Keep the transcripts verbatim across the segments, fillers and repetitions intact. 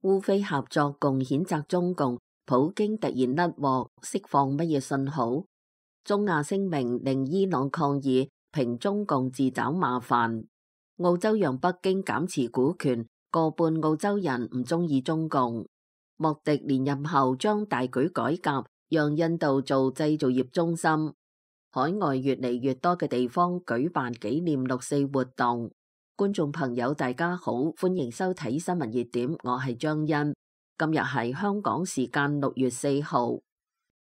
烏非合作共譴責中共，普京突然甩鑊，釋放乜嘢信號？中亞聲明令伊朗抗議，評中共自找麻煩。澳洲讓北京減持股權，過半澳洲人唔中意中共。莫迪連任後將大舉改革，讓印度做製造業中心。海外越嚟越多嘅地方舉辦紀念六四活動。觀眾朋友大家好，歡迎收睇新聞熱點，我係張欣。今日係香港時間六月四號。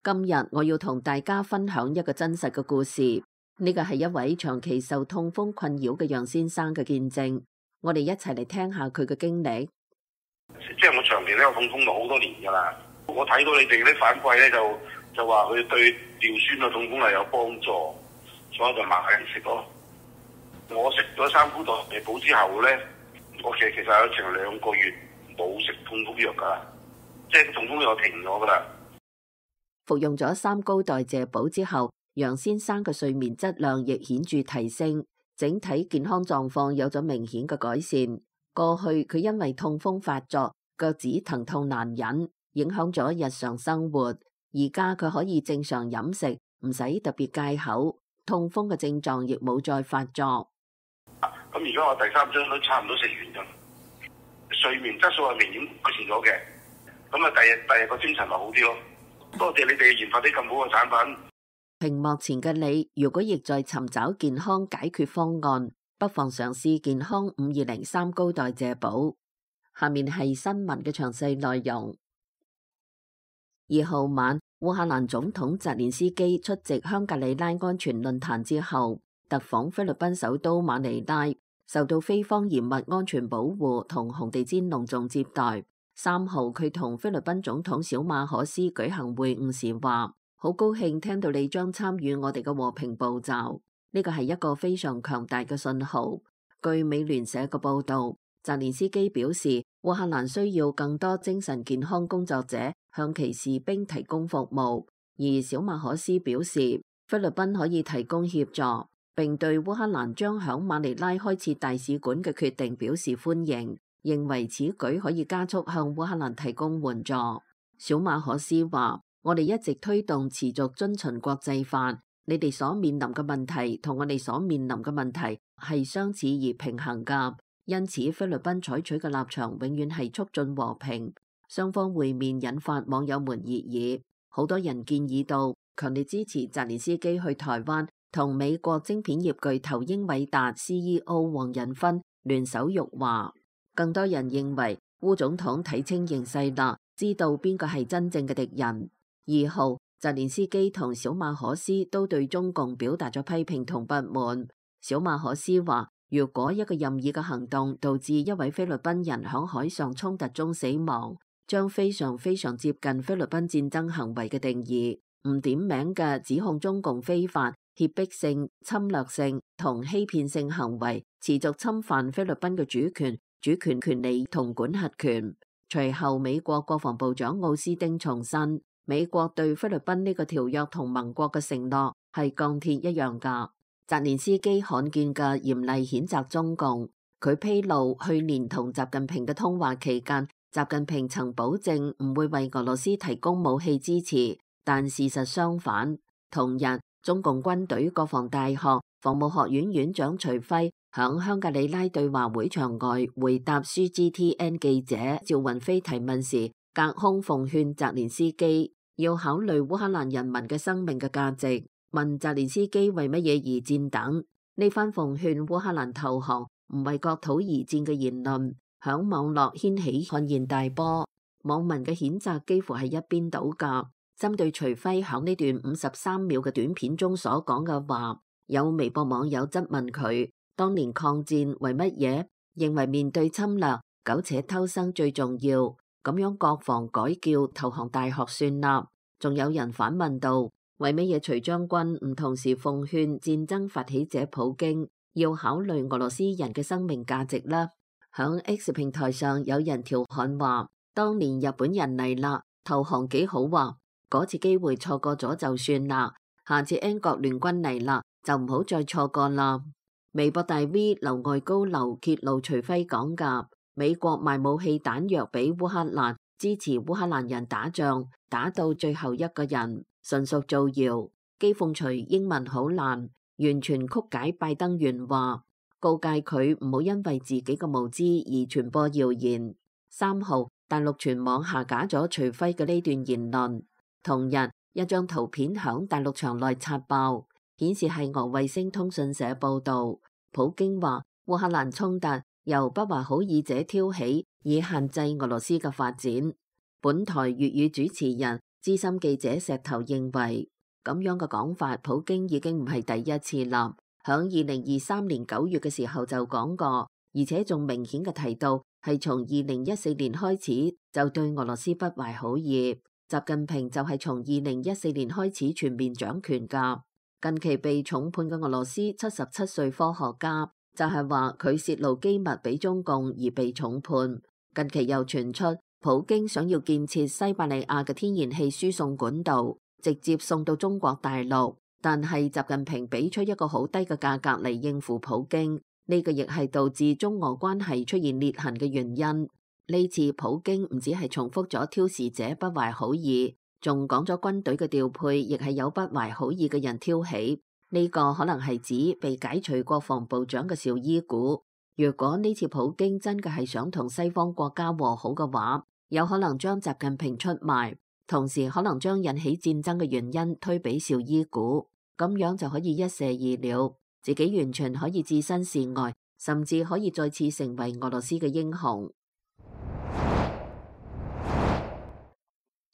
今日我要同大家分享一個真實嘅故事，呢個係一位長期受痛風困擾嘅楊先生嘅見證。我哋一齊嚟聽下佢嘅經歷。即係我長期都有痛風到好多年噶啦，我睇到你哋啲反饋咧，就就話佢對尿酸嘅痛風係有幫助，所以就買嚟食咯。我食咗三菇代謝寶之後咧，我其實其實有成兩個月冇食痛風藥噶，即係痛風藥停咗噶啦。服用咗三高代謝寶之後，楊先生嘅睡眠質量亦顯著提升，整體健康狀況有咗明顯嘅改善。過去佢因為痛風發作，腳趾疼痛難忍，影響咗日常生活。而家佢可以正常飲食，唔使特別戒口，痛風嘅症狀亦冇再發作。咁而家我第三張都差唔多食完咗，睡眠質素係明顯改善咗嘅。咁啊，第日第日個精神咪好啲咯。多謝你哋研發啲咁好嘅產品。屏幕前嘅你，如果亦在尋找健康解決方案，不妨嘗試健康五二零三高代謝寶。下面係新聞嘅詳細內容。二號晚，烏克蘭總統澤連斯基出席香格里拉安全論壇之後，特訪菲律賓首都馬尼拉，受到菲方嚴密安全保護同紅地毯隆重接待。三號佢同菲律賓總統小馬可斯舉行會晤時話：好高興聽到你將參與我哋嘅和平步驟，呢個係一個非常強大嘅信號。據美聯社嘅報道，澤連斯基表示，烏克蘭需要更多精神健康工作者向其士兵提供服務，而小馬可斯表示，菲律賓可以提供協助，並對烏克蘭將響馬尼拉開設大使館嘅決定表示歡迎，認為此舉可以加速向烏克蘭提供援助。小馬可斯話：我哋一直推動持續遵循國際法，你哋所面臨嘅問題同我哋所面臨嘅問題係相似而平衡㗎，因此菲律賓採取嘅立場永遠係促進和平。雙方會面引發網友們熱議，好多人建議到強烈支持澤連斯基去台灣同美國晶片業巨頭英偉達 C E O 黃仁勳聯手辱華。更多人認為烏總統睇清形勢啦，知道邊個係真正嘅敵人。二號，澤連斯基同小馬可斯都對中共表達咗批評同不滿。小馬可斯話：如果一個任意嘅行動導致一位菲律賓人響海上衝突中死亡，將非常非常接近菲律賓戰爭行為嘅定義。唔點名嘅指控中共非法、脅迫性、侵略性同欺騙性行為，持續侵犯菲律賓嘅主權、主權權利同管轄權。隨後，美國國防部長奧斯丁重申，美國對菲律賓呢個條約同盟國嘅承諾係鋼鐵一樣㗎。澤連斯基罕見嘅嚴厲譴責中共，佢披露去年同習近平嘅通話期間，習近平曾保證唔會為俄羅斯提供武器支持，但事實相反。同日，中共軍隊國防大學防務學院院長徐輝響香格里拉對話會場外回答 C G T N 記者趙雲飛提問時，隔空奉勸澤連斯基要考慮烏克蘭人民嘅生命嘅價值，問澤連斯基為乜嘢而戰等。呢番奉勸烏克蘭投降唔為國土而戰嘅言論，響網絡掀起軒然大波。網民嘅譴責幾乎係一邊倒㗎。針對徐輝響呢段五十三秒嘅短片中所講嘅話，有微博網友質問佢：當年抗戰為乜嘢？認為面對侵略，苟且偷生最重要，咁樣國防改叫投降大學算啦。仲有人反問道：為乜嘢徐將軍唔同時奉勸戰爭發起者普京要考慮俄羅斯人嘅生命價值呢？響 X 平台上有人調侃話：當年日本人嚟啦，投降幾好啊！嗰次機會錯過咗就算啦，下次英國聯軍嚟啦，就唔好再錯過啦。微博大 V 劉外高流揭露徐輝講㗎，美國賣武器彈藥俾烏克蘭，支持烏克蘭人打仗，打到最後一個人，純屬造謠。譏諷除英文好難，完全曲解拜登原話，告誡佢唔好因為自己嘅無知而傳播謠言。三號，大陸全網下架咗徐輝嘅呢段言論。同日，一張圖片響大陸牆內刷爆，顯示係俄衛星通訊社報道。普京話烏克蘭衝突由不懷好意者挑起，以限制俄羅斯嘅發展。本台粵語主持人資深記者石頭認為，咁樣嘅講法，普京已經唔係第一次啦。響二零二三年九月嘅時候就講過，而且仲明顯嘅提到係從二零一四年開始就對俄羅斯不懷好意。習近平就係從二零一四年開始全面掌權噶。近期被重判嘅俄羅斯七十七歲科學家就係話佢泄露機密俾中共而被重判。近期又傳出普京想要建設西伯利亞嘅天然氣輸送管道，直接送到中國大陸，但係習近平俾出一個好低嘅價格嚟應付普京，呢個亦係導致中俄關係出現裂痕嘅原因。呢次普京唔只係重複咗挑事者不懷好意，仲講咗軍隊嘅調配亦係有不懷好意嘅人挑起。呢個可能係指被解除國防部長嘅紹伊古。如果呢次普京真嘅係想同西方國家和好嘅話，有可能將習近平出賣，同時可能將引起戰爭嘅原因推俾紹伊古，咁樣就可以一射二鳥，自己完全可以置身事外，甚至可以再次成為俄羅斯嘅英雄。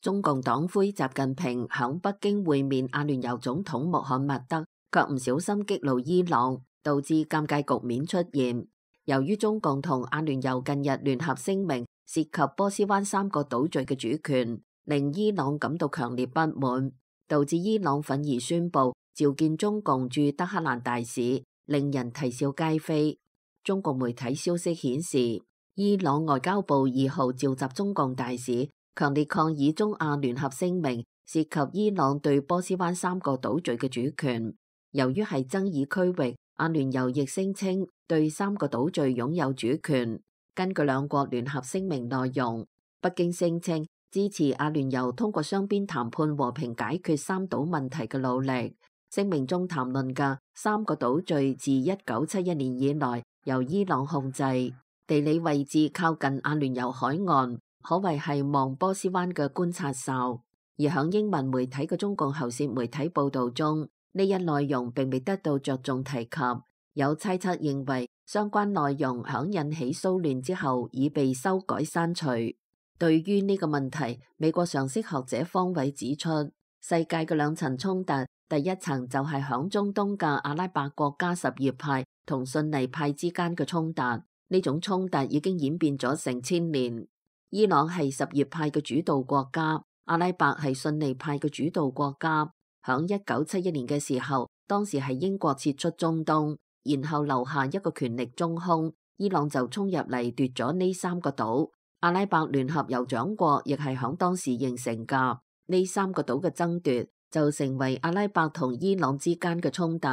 中共黨魁習近平響北京會面阿聯酋總統穆罕默德，卻唔小心激怒伊朗，導致尷尬局面出現。由於中共同阿聯酋近日聯合聲明涉及波斯灣三個島嶼嘅主權，令伊朗感到強烈不滿，導致伊朗憤而宣布召見中共駐德黑蘭大使，令人啼笑皆非。中共媒體消息顯示，伊朗外交部二號召集中共大使，強烈抗議中阿聯合聲明涉及伊朗對波斯灣三個島嶼嘅主權。由於係爭議區域，阿聯酋亦聲稱對三個島嶼擁有主權。根據兩國聯合聲明內容，北京聲稱支持阿聯酋通過雙邊談判和平解決三島問題嘅努力。聲明中談論嘅三個島嶼自一九七一年以來由伊朗控制，地理位置靠近阿聯酋海岸，可謂係望波斯灣嘅觀察哨。而響英文媒體嘅中共喉舌媒體報道中，呢一內容並未得到着重提及。有猜測認為，相關內容響引起騷亂之後已被修改刪除。對於呢個問題，美國常識學者方偉指出，世界嘅兩層衝突，第一層就係響中東嘅阿拉伯國家什葉派同遜尼派之間嘅衝突。呢種衝突已經演變咗成千年。伊朗係什葉派嘅主導國家，阿拉伯係遜尼派嘅主導國家。響一九七一年嘅時候，當時係英國撤出中東，然後留下一個權力中空，伊朗就衝入嚟奪咗呢三個島。阿拉伯聯合酋長國亦係響當時形成噶。呢三個島嘅爭奪就成為阿拉伯同伊朗之間嘅衝突，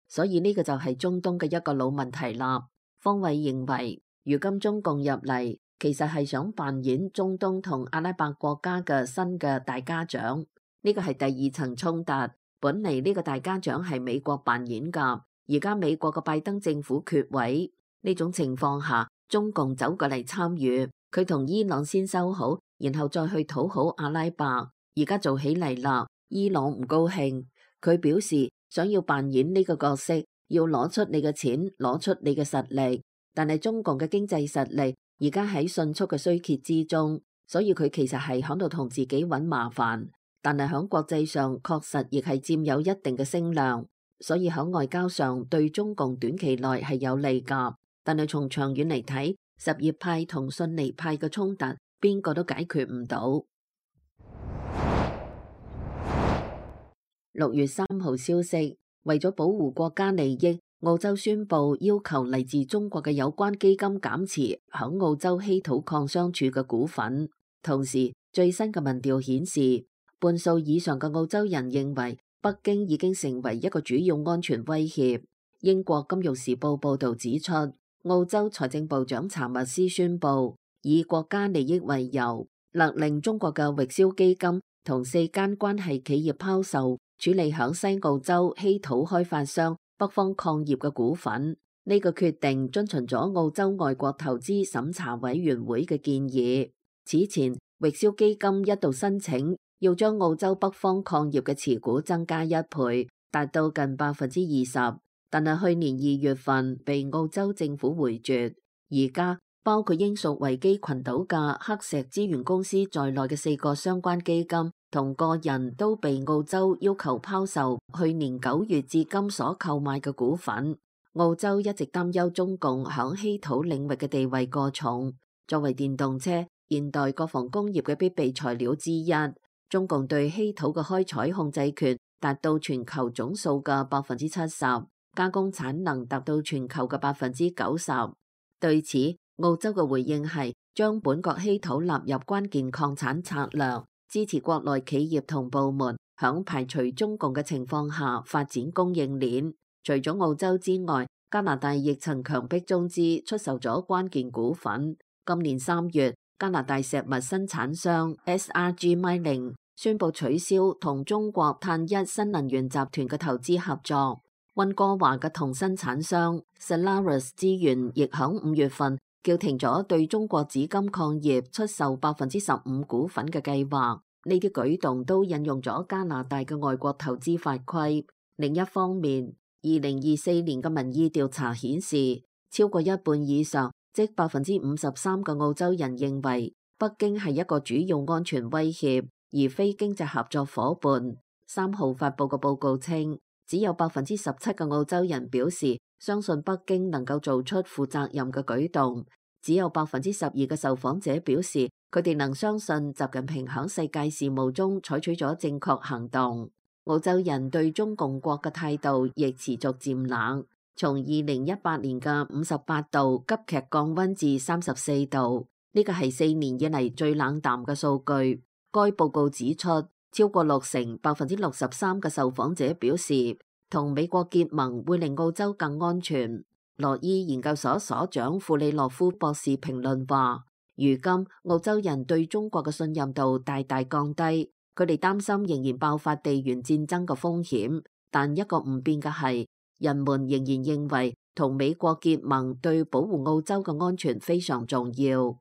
所以呢個就係中東嘅一個老問題啦。方偉認為，如今中共入嚟，其實係想扮演中東同阿拉伯國家嘅新嘅大家長。呢個係第二層衝突，本嚟呢個大家長係美國扮演噶，而家美國嘅拜登政府缺位，呢種情況下，中共走過嚟參與，佢同伊朗先修好，然後再去討好阿拉伯。而家做起嚟啦，伊朗唔高興，佢表示想要扮演呢個角色，要攞出你嘅錢，攞出你嘅實力，但係中共嘅經濟實力而家喺迅速嘅衰竭之中，所以佢其實係響度同自己揾麻煩。但係喺國際上確實亦係佔有一定嘅聲量，所以喺外交上對中共短期內係有利㗎。但係從長遠嚟睇，什葉派同遜尼派嘅衝突，邊個都解決唔到。六月三號消息，為咗保護國家利益，澳洲宣布要求嚟自中國嘅有關基金減持喺澳洲稀土礦商處嘅股份。同時，最新嘅民調顯示，半數以上嘅澳洲人認為北京已經成為一個主要安全威脅。英國金融時報報道指出，澳洲財政部長查密斯宣布，以國家利益為由，勒令中國嘅域銷基金同四間關係企業拋售處理響西澳洲稀土開發商北方礦業嘅股份。呢個決定遵循咗澳洲外國投資審查委員會嘅建議。此前，域銷基金一度申請要將澳洲北方礦業嘅持股增加一倍，達到近百分之二十，但係去年二月份被澳洲政府回絕。而家包括英屬維基群島嘅黑石資源公司在內嘅四個相關基金同個人都被澳洲要求拋售去年九月至今所購買嘅股份。澳洲一直擔憂中共響稀土領域嘅地位過重，作為電動車、現代國防工業嘅必備材料之一，中共對稀土嘅開採控制權達到全球總數嘅百分之七十，加工產能達到全球嘅百分之九十。對此，澳洲嘅回應係將本國稀土納入關鍵礦產策略，支持國內企業同部門響排除中共嘅情況下發展供應鏈。除咗澳洲之外，加拿大亦曾強迫中資出售咗關鍵股份。今年三月，加拿大石物生產商 S R G Mining 宣布取消同中國碳一新能源集團嘅投資合作。溫哥華嘅銅生產商 Solaris 資源亦響五月份叫停咗對中國紫金礦業出售百分之十五股份嘅計劃。呢啲舉動都引用咗加拿大嘅外國投資法規。另一方面，二零二四年嘅民意調查顯示，超過一半以上，即百分之五十三嘅澳洲人認為北京係一個主要安全威脅，而非經濟合作夥伴。三號發佈嘅報告稱，只有百分之十七嘅澳洲人表示相信北京能夠做出負責任嘅舉動，只有百分之十二嘅受訪者表示佢哋能相信習近平響世界事務中採取咗正確行動。澳洲人對中共國嘅態度亦持續漸冷，從二零一八年嘅五十八度急劇降溫至三十四度，呢個係四年以嚟最冷淡嘅數據。該報告指出，超過六成百分之六十三嘅受訪者表示，同美國結盟會令澳洲更安全。羅伊研究所所長庫里洛夫博士評論話，如今澳洲人對中國嘅信任度大大降低。佢哋擔心仍然爆發地緣戰爭嘅風險，但一個唔變嘅係，人們仍然認為同美國結盟對保護澳洲嘅安全非常重要。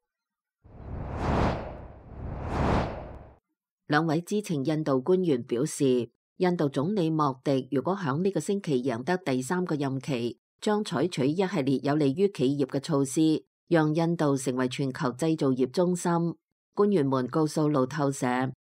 兩位知情印度官員表示，印度總理莫迪如果響呢個星期贏得第三個任期，將採取一系列有利於企業嘅措施，讓印度成為全球製造業中心。官員們告訴路透社，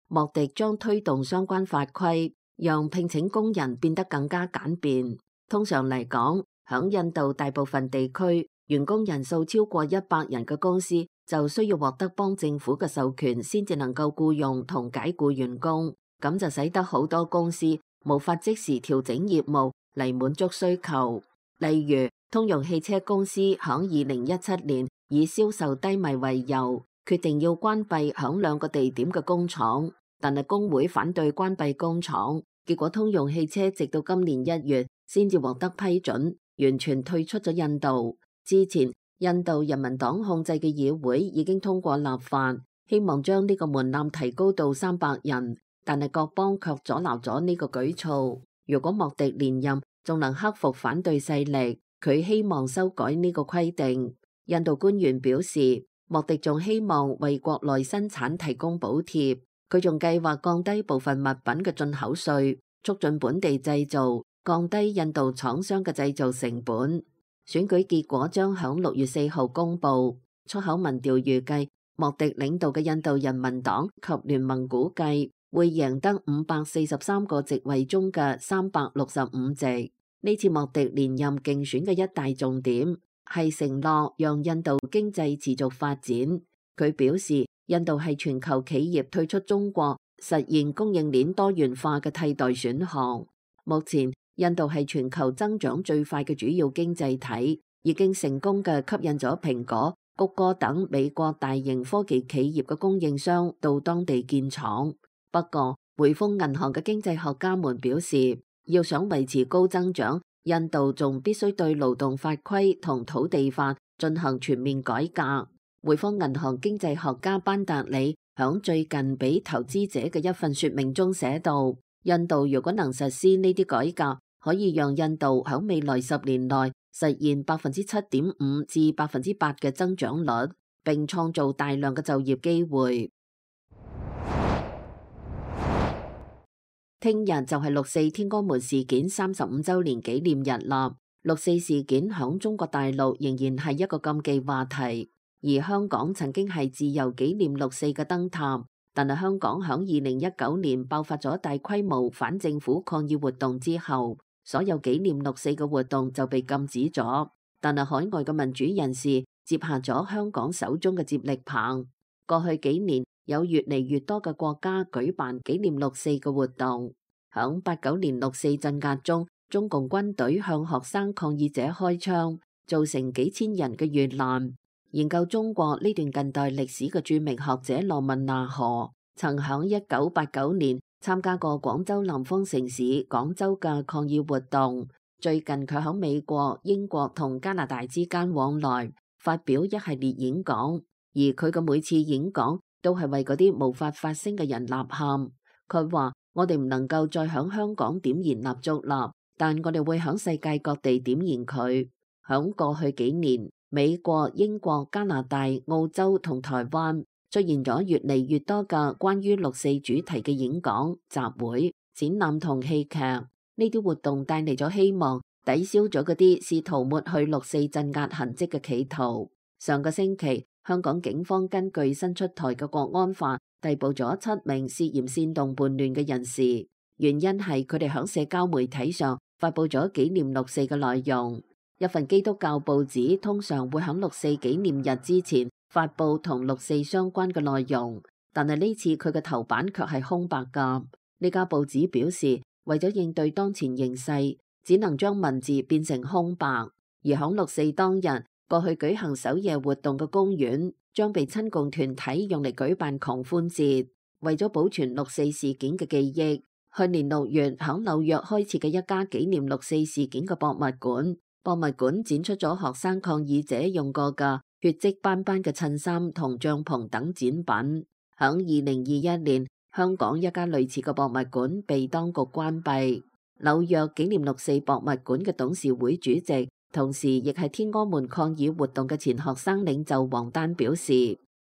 莫迪將推動相關法規，讓聘請工人變得更加簡便。通常嚟講，響印度大部分地區，員工人數超過一百人嘅公司就需要獲得邦政府嘅授權，先至能夠僱用同解僱員工。咁就使得好多公司無法即時調整業務嚟滿足需求。例如，通用汽車公司響二零一七年以銷售低迷為由，決定要關閉響兩個地點嘅工廠。但係工會反對關閉工廠，結果通用汽車直到今年一月先至獲得批准，完全退出咗印度。之前，印度人民黨控制嘅議會已經通過立法，希望將呢個門檻提高到三百人，但係各邦卻阻撓咗呢個舉措。如果莫迪連任，仲能克服反對勢力，佢希望修改呢個規定。印度官員表示，莫迪仲希望為國內生產提供補貼。佢仲計劃降低部分物品嘅進口稅，促進本地製造，降低印度廠商嘅製造成本。選舉結果將響六月四號公布。出口民調預計，莫迪領導嘅印度人民黨及聯盟估計會贏得五百四十三個席位中嘅三百六十五席。呢次莫迪連任競選嘅一大重點係承諾讓印度經濟持續發展。佢表示，印度係全球企業退出中國，實現供應鏈多元化嘅替代選項。目前，印度係全球增長最快嘅主要經濟體，已經成功嘅吸引咗蘋果、谷歌等美國大型科技企業嘅供應商到當地建廠。不過，匯豐銀行嘅經濟學家們表示，要想維持高增長，印度仲必須對勞動法規同土地法進行全面改革。匯豐銀行經濟學家班達里響最近俾投資者嘅一份說明中寫道，印度如果能實施呢啲改革，可以讓印度響未來十年內實現百分之七點五至百分之八嘅增長率，並創造大量嘅就業機會。聽日就係六四天安門事件三十五週年紀念日啦。六四事件響中國大陸仍然係一個禁忌話題，而香港曾經係自由紀念六四嘅燈塔。但係香港響二零一九年爆發咗大規模反政府抗議活動之後，所有紀念六四嘅活動就被禁止咗。但係海外嘅民主人士接下咗香港手中嘅接力棒。過去幾年，有越嚟越多嘅國家舉辦紀念六四嘅活動。響八九年六四鎮壓中，中共軍隊向學生抗議者開槍，造成幾千人嘅遇難。研究中國呢段近代歷史嘅著名學者羅文納河，曾響一九八九年參加過廣州南方城市廣州嘅抗議活動。最近佢響美國、英國同加拿大之間往來，發表一系列演講，而佢嘅每次演講都係為嗰啲無法發聲嘅人吶喊。佢話：我哋唔能夠再響香港點燃蠟燭啦，但我哋會響世界各地點燃佢。響過去幾年，美國、英國、加拿大、澳洲同台灣出現咗越嚟越多嘅關於六四主題嘅演講、集會、展覽同戲劇。呢啲活動帶嚟咗希望，抵消咗嗰啲試圖抹去六四鎮壓痕跡嘅企圖。上個星期，香港警方根據新出台嘅國安法，逮捕咗七名涉嫌煽動叛亂嘅人士，原因係佢哋響社交媒體上發佈咗紀念六四嘅內容。一份基督教報紙通常會響六四紀念日之前發佈同六四相關嘅內容，但係呢次佢嘅頭版卻係空白㗎。呢家報紙表示，為咗應對當前形勢，只能將文字變成空白。而響六四當日，過去舉行守夜活動嘅公園將被親共團體用嚟舉辦狂歡節，為咗保存六四事件嘅記憶。去年六月響紐約開設嘅一家紀念六四事件嘅博物館。博物館展出咗學生抗議者用過嘅血跡斑斑嘅襯衫同帳篷等展品。響二零二一年，香港一家類似嘅博物館被當局關閉。紐約紀念六四博物館嘅董事會主席，同時亦係天安門抗議活動嘅前學生領袖王丹表示，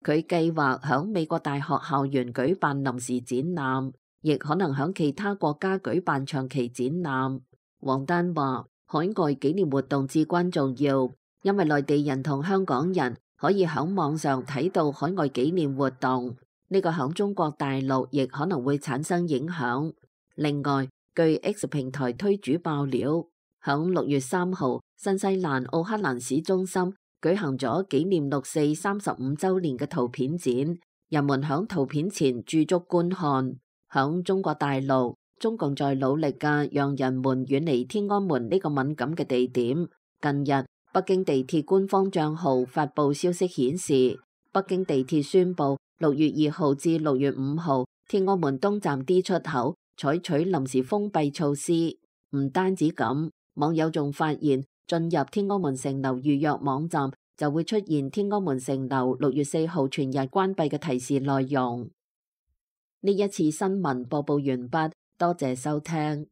佢計劃響美國大學校園舉辦臨時展覽，亦可能響其他國家舉辦長期展覽。王丹話：海外紀念活動至關重要，因為內地人同香港人可以喺網上睇到海外紀念活動，呢個喺中國大陸亦可能會產生影響。另外，據 X 平台推主爆料，喺六月三號，新西蘭奧克蘭市中心舉行咗紀念六四三十五週年嘅圖片展，人們喺圖片前駐足觀看。喺中國大陸，中共在努力嘅讓人們遠離天安門呢個敏感嘅地點。近日，北京地鐵官方賬號發布消息顯示，北京地鐵宣布六月二號至六月五號，天安門東站 D 出口採取臨時封閉措施。唔單止咁，網友仲發現進入天安門城樓預約網站就會出現天安門城樓六月四號全日關閉嘅提示內容。呢一次新聞播報完畢。多謝收聽。